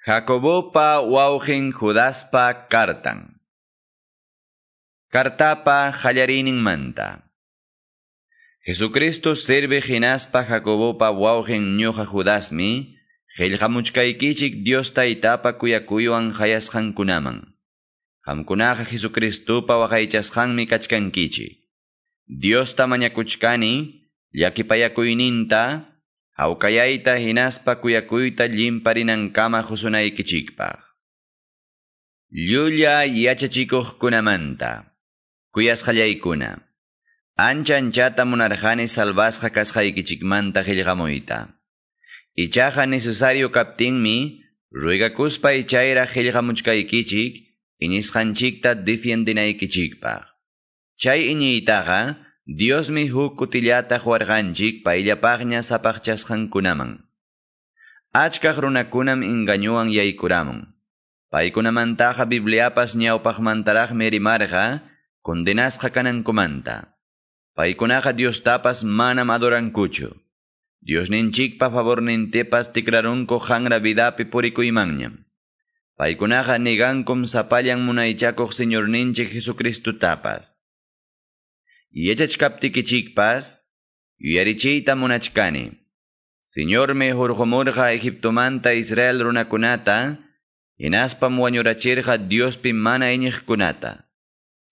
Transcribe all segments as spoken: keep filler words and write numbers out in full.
Jacobopa wawqin Judaspa kartan. Kartapa qallariyninmanta. Jesucristo serviq hinaspa Jacobopa wawqin ñuqa Judasmi, qillqamuchkaykichik Dios Taytapa kuyakuywan qayasqankunaman. Qamkunaqa Jesucristopa waqaychasqanmi kachkankichik. Diosta mañakuchkani, llakipayakuyninta, hawkayayta hinaspa kuyakuyta llimparinankama qusunaykichikpaq. Llulla yachachikuqkunamanta. Kuyasqallaykuna. Ancha anchata munarqani salvasqa kasqaykichikmanta qillqamuyta. Ichaqa necesario kaptinmi, ruegakuspay chayraq qillqamuchkaykichik, iñisqanchikta defiendinaykichikpaq. Chay iñiytaqa, Diosmi huk kutillata quwarqanchik payllapaqña sapaqchasqankunaman. Achkaq runakunam engañuwan yaykuramun. Paykunamantaqa Bibliapas ñawpaqmantaraqmi rimarqa, condenasqa kanankumanta. Paykunaqa Diostapas manam adorankuchu. Diosninchikpa favornintepas tikrarunku hanra vidapi purikuymanñam. Paykunaqa negankum sapallan munaychakuq Señorninchik Jesucristutapas. Yachachkaptikichikpas, yuyarichiyta munachkani. Señormi hurqumurqa Egiptomanta Israel runakunata, hinaspam wañurachirqa Diospi mana iñiqkunata.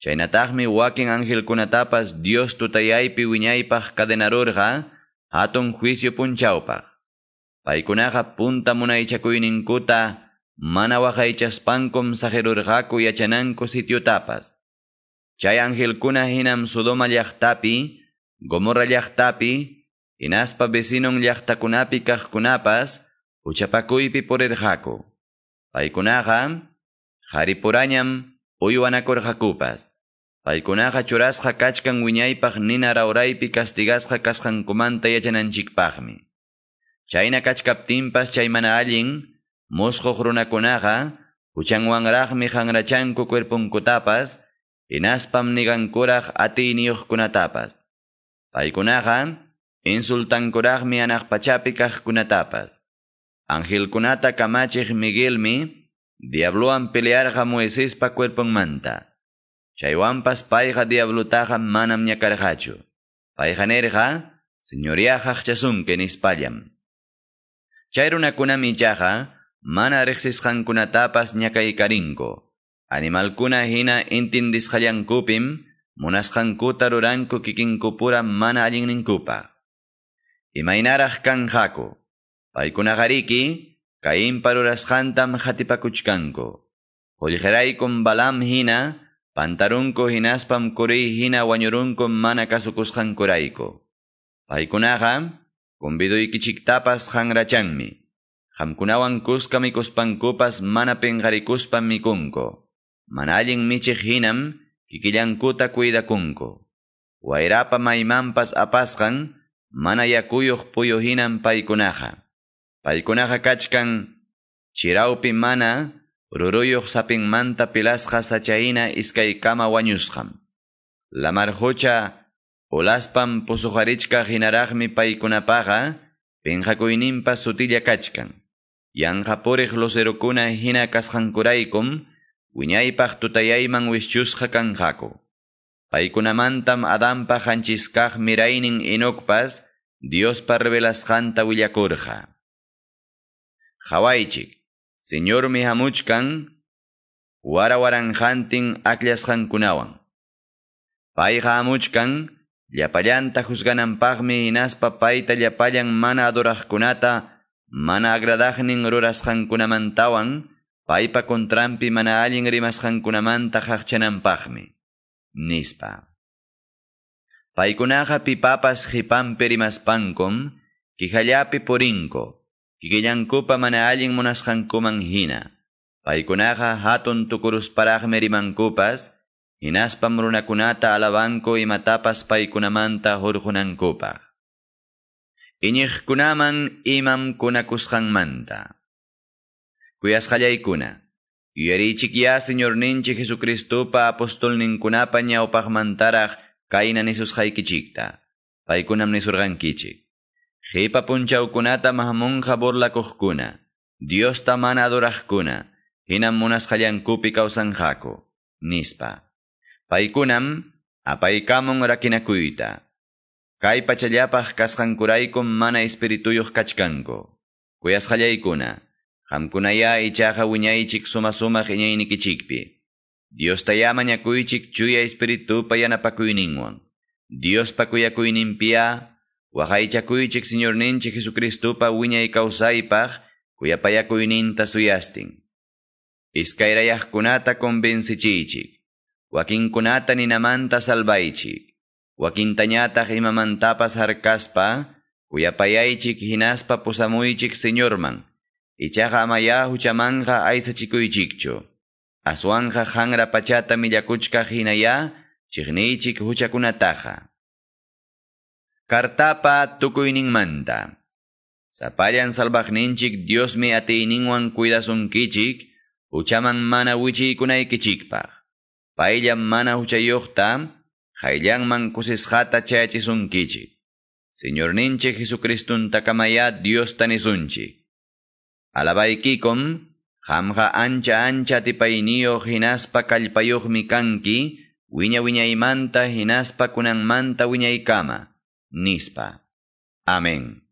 Chaynataqmi wakin angelkunatapas Dios tutayaypi wiñaypaq cadenarurqa hatun juicio punchawpaq. Paykunaqa punta munaychakuyninkuta mana waqaychaspankum saqirurqaku yachananku sitiotapas. Chay angelkuna hinam Sodoma llaqtapi, Gomorra llaqtapi, hinaspa vecinon llaqtakunapi kaqkunapas huchapakuypi purirqaku. Paykunaqa qaripurañam uywanakurqakupas. Paykunaqa churasqa kachkan wiñaypaq nina rawraypi castigasqa kasqankumanta yachananchikpaqmi. Chayna kachkaptinpas chay mana allin musquq runakunaqa huchanwanraqmi hanrachanku cuerponkutapas, hinaspam nigankuraq atiyniyuqkunatapas. Paykunaqa insultankuraqmi hanaq pachapi kaqkunatapas. Angelkunata kamachiq Miguelmi diablowan pelearqa Moisespa cuerponmanta. Chaywanpas payqa diablutaqa manam ñakarqachu. Payqa nirqa, Señoría qaqchasunki nispallam. Chay runakunam ichaqa mana riqsisqankunatapas ñakaykarinku. Animalkuna hina intindisqallankupim munasqankuta ruranku kikinkupura mana allinninkupaq. Imaynaraq kanqaku. Paykunaqariki Cainpa rurasqantam qatipakuchkanku. Qullqiraykum Balaam hina pantarunku hinaspam Coré hina wañurunku mana kasukusqankurayku. Paykunaqa conviduykichiktapas hanrachanmi. Qamkunawan kuska mikuspankupas mana pinqarikuspam mikunku. Mana allin michiq hinam kikillankuta cuidakunku. Wayrapa maymanpas apasqan mana yakuyuq puyu hinam paykunaqa. Paykunaqa kachkan chirawpi mana ruruyuq sapinmanta pilasqa sachahina iskaykama wañusqam. Lamar qucha ulaspam pusuqarichkaq hinaraqmi paykunapaqa pinqakuyninpas sutilla kachkan. Yanqa puriq lucerokuna hina kasqankuraykum wiñaypaq tutayayman wischusqa kanqaku. Paykunamantam Adanpa qanchiskaq miraynin Enocpas Diospa revelasqanta willakurqa. Qhawaychik, Señormi hamuchkan wara waranqantin akllashqankunawan. Payqa hamuchkan llapallanta juzgananpaqmi hinaspa payta llapallan mana adoraqkunata mana agradaqnin rurasqankunamantawan paypa contranpi mana allin rimasqankunamanta qaqchananpaqmi, nispa. Paykunaqa pipapas qipanpi rimaspankum kihallapi purinku, kikillankupa mana allin munasqankuman hina. Paykunaqa hatun tukurusparaqmi rimankupas, hinaspam runakunata alabanku imatapas paykunamanta hurqunankupaq. Iñiqkunaman imam kunakusqanmanta. Kuyasqallaykuna, yuyarichikyá Señorninchik Jesucristopa apostolninkunapa ñawpaqmantaraq kayna nisusqaykichikta. Paykunam nisurqankichik. Qipa punchawkunata hamunqa burlakuqkuna, Diosta mana adoraqkuna, hinam munasqallankupi kawsanqaku, nispa. Paykunam apaykamun rakinakuyta. Kay pachallapaq kasqankuraykum mana espirituyuq kachkanku. Kuyasqallaykuna, qamkunaya ichaqa wiñaychik suma-sumaq iñaynikichikpi. Diostayá mañakuychik chuya espiritupa yanapakuyninwan. Diospa kuyakuyninpiya, waqaychakuychik Señorninchik Jesucristupa wiñay kawsaypaq kuyapayakuyninta suyastin. Iskayrayaqkunata convencichiychik. Wakinkunata ninamanta salvaychik. Wakintañataq imamantapas harkaspa, kuyapayaychik hinaspa pusamuychik Señorman. Ichaqa amaya huchamanqa aysachikuychikchu. Aswanqa hanra pachata millakuchkaq hinaya, chiqniychik huchakunataqa. Kartapa tukuyninmanta. Sapallan salvaqninchik Diosmi atiyninwan cuidasunkichik, huchaman mana wichiykunaykichikpaq. Payllam mana huchayuqta, qayllanman kusisqata chayachisunkichik. Señorninchik Jesucristuntakamaya Diosta nisunchik. Alabaykikum, qamqa ancha ancha atipayniyuq hinaspa kallpayuqmi kanki, wiña wiñaymanta hinaspa kunanmanta wiñaykama, nispa. Amén.